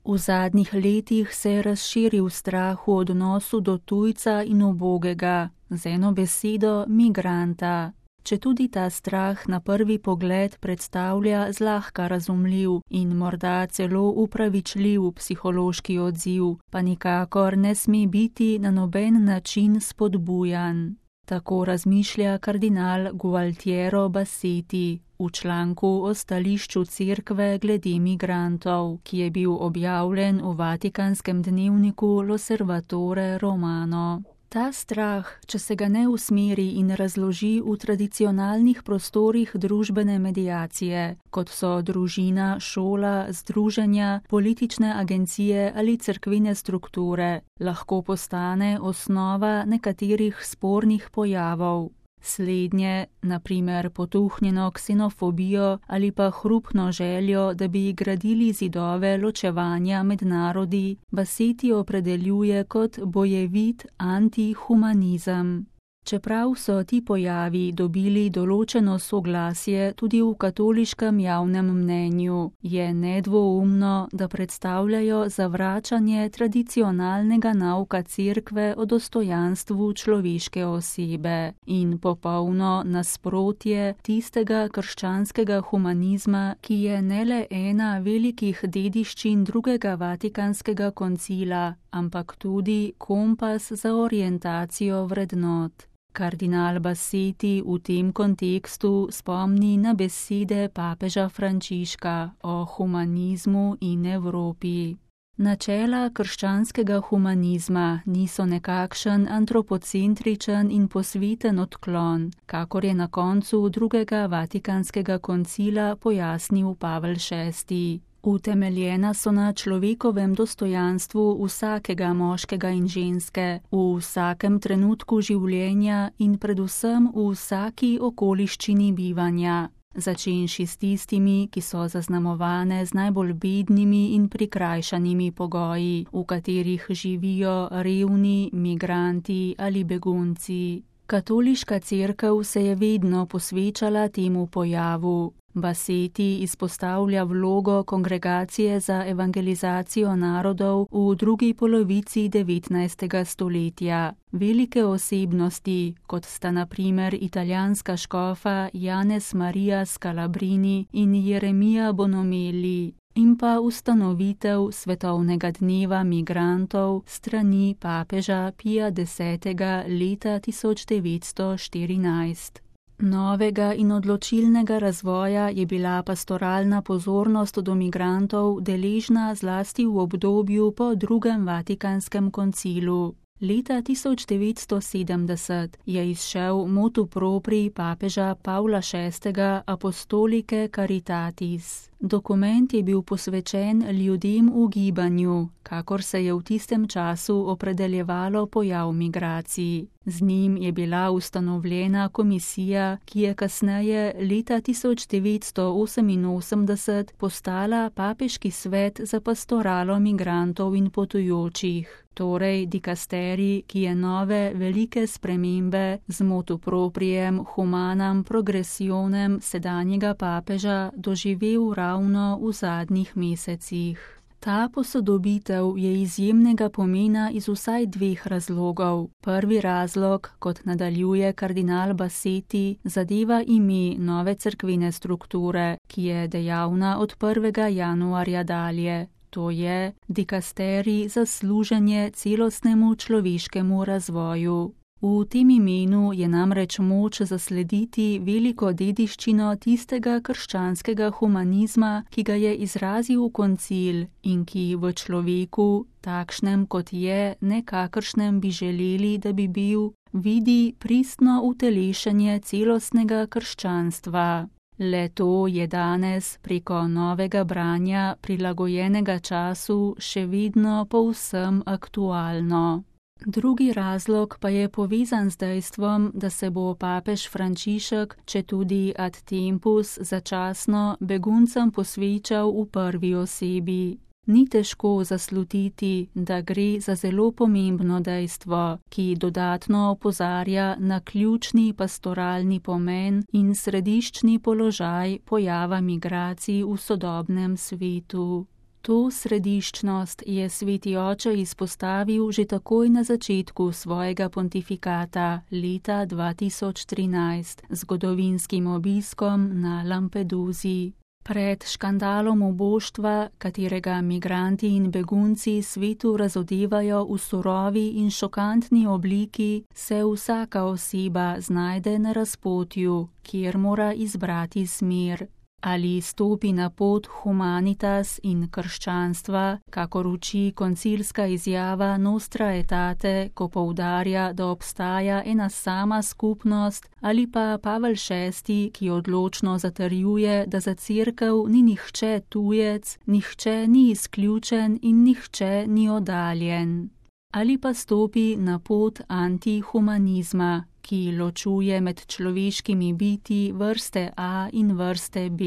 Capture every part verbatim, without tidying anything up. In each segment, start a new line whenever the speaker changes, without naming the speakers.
V zadnjih letih se je razširil strah v odnosu do tujca in ubogega, z eno besedo migranta. Četudi ta strah na prvi pogled predstavlja zlahka razumljiv in morda celo upravičljiv psihološki odziv, pa nikakor ne sme biti na noben način spodbujan. Tako razmišlja kardinal Gualtiero Bassetti v članku o stališču cerkve glede migrantov, ki je bil objavljen v vatikanskem dnevniku L'Osservatore Romano. Ta strah, če se ga ne usmeri in razloži v tradicionalnih prostorih družbene mediacije, kot so družina, šola, združenja, politične agencije ali cerkvene strukture, lahko postane osnova nekaterih spornih pojavov. Slednje, na primer potuhnjeno ksenofobijo ali pa hrupno željo, da bi gradili zidove ločevanja med narodi, Bassetti opredeljuje kot bojevit antihumanizem. Čeprav so ti pojavi dobili določeno soglasje tudi v katoliškem javnem mnenju, je nedvoumno, da predstavljajo zavračanje tradicionalnega nauka cerkve o dostojanstvu človeške osebe in popolno nasprotje tistega krščanskega humanizma, ki je ne le ena velikih dediščin drugega vatikanskega koncila, ampak tudi kompas za orientacijo vrednot. Kardinal Bassetti v tem kontekstu spomni na besede papeža Frančiška o humanizmu in Evropi. Načela krščanskega humanizma niso nekakšen antropocentričen in posveten odklon, kakor je na koncu drugega vatikanskega koncila pojasnil Pavel šesti. Utemeljena so na človekovem dostojanstvu vsakega moškega in ženske, v vsakem trenutku življenja in predvsem v vsaki okoliščini bivanja, začenši s tistimi, ki so zaznamovane z najbolj bednimi in prikrajšanimi pogoji, v katerih živijo revni, migranti ali begunci. Katoliška cerkev se je vedno posvečala temu pojavu. Bassetti izpostavlja vlogo Kongregacije za evangelizacijo narodov v drugi polovici devetnajstega stoletja. Velike osebnosti, kot sta na primer italijanska škofa Janez Maria Scalabrini in Jeremija Bonomeli, in pa ustanovitev svetovnega dneva migrantov strani papeža Pija desetega leta tisoč devetsto štirinajst. Novega in odločilnega razvoja je bila pastoralna pozornost do migrantov deležna zlasti v obdobju po drugem vatikanskem koncilu. Leta tisoč devetsto sedemdeset je izšel motu proprii papeža Pavla šestega Apostolike Caritatis. Dokument je bil posvečen ljudem v gibanju, kakor se je v tistem času opredeljevalo pojav migracij. Z njim je bila ustanovljena komisija, ki je kasneje leta tisoč devetsto oseminosemdeset postala papeški svet za pastoralo migrantov in potujočih. Torej dikasterij, ki je nove velike spremembe z motu proprijem humanam progressionem sedanjega papeža doživel ravno v zadnjih mesecih. Ta posodobitev je izjemnega pomena iz vsaj dveh razlogov. Prvi razlog, kot nadaljuje kardinal Bassetti, zadeva ime nove cerkvene strukture, ki je dejavna od prvega januarja dalje. To je dikasterij za služenje celostnemu človeškemu razvoju. V tem imenu je namreč moč zaslediti veliko dediščino tistega krščanskega humanizma, ki ga je izrazil koncil in ki v človeku, takšnem kot je, nekakršnem bi želeli, da bi bil, vidi pristno utelešenje celostnega krščanstva. Le to je danes preko novega branja prilagojenega času še vedno povsem aktualno. Drugi razlog pa je povezan z dejstvom, da se bo papež Frančišek, četudi ad tempus, začasno beguncem posvečal v prvi osebi. Ni težko zaslutiti, da gre za zelo pomembno dejstvo, ki dodatno opozarja na ključni pastoralni pomen in središčni položaj pojava migracij v sodobnem svetu. To središčnost je sveti oče izpostavil že takoj na začetku svojega pontifikata leta dva tisoč trinajst z zgodovinskim obiskom na Lampedusi. Pred škandalom uboštva, katerega migranti in begunci svetu razodevajo v surovi in šokantni obliki, se vsaka oseba znajde na razpotju, kjer mora izbrati smer. Ali stopi na pot humanitas in krščanstva, kakor uči koncilska izjava Nostra Aetate, ko poudarja, da obstaja ena sama skupnost, ali pa Pavel šesti, ki odločno zatrjuje, da za cerkev ni nihče tujec, nihče ni izključen in nihče ni oddaljen. Ali pa stopi na pot antihumanizma, ki ločuje med človeškimi biti vrste A in vrste B,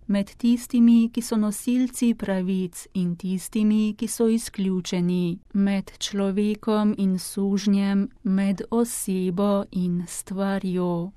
med tistimi, ki so nosilci pravic in tistimi, ki so izključeni, med človekom in sužnjem, med osebo in stvarjo.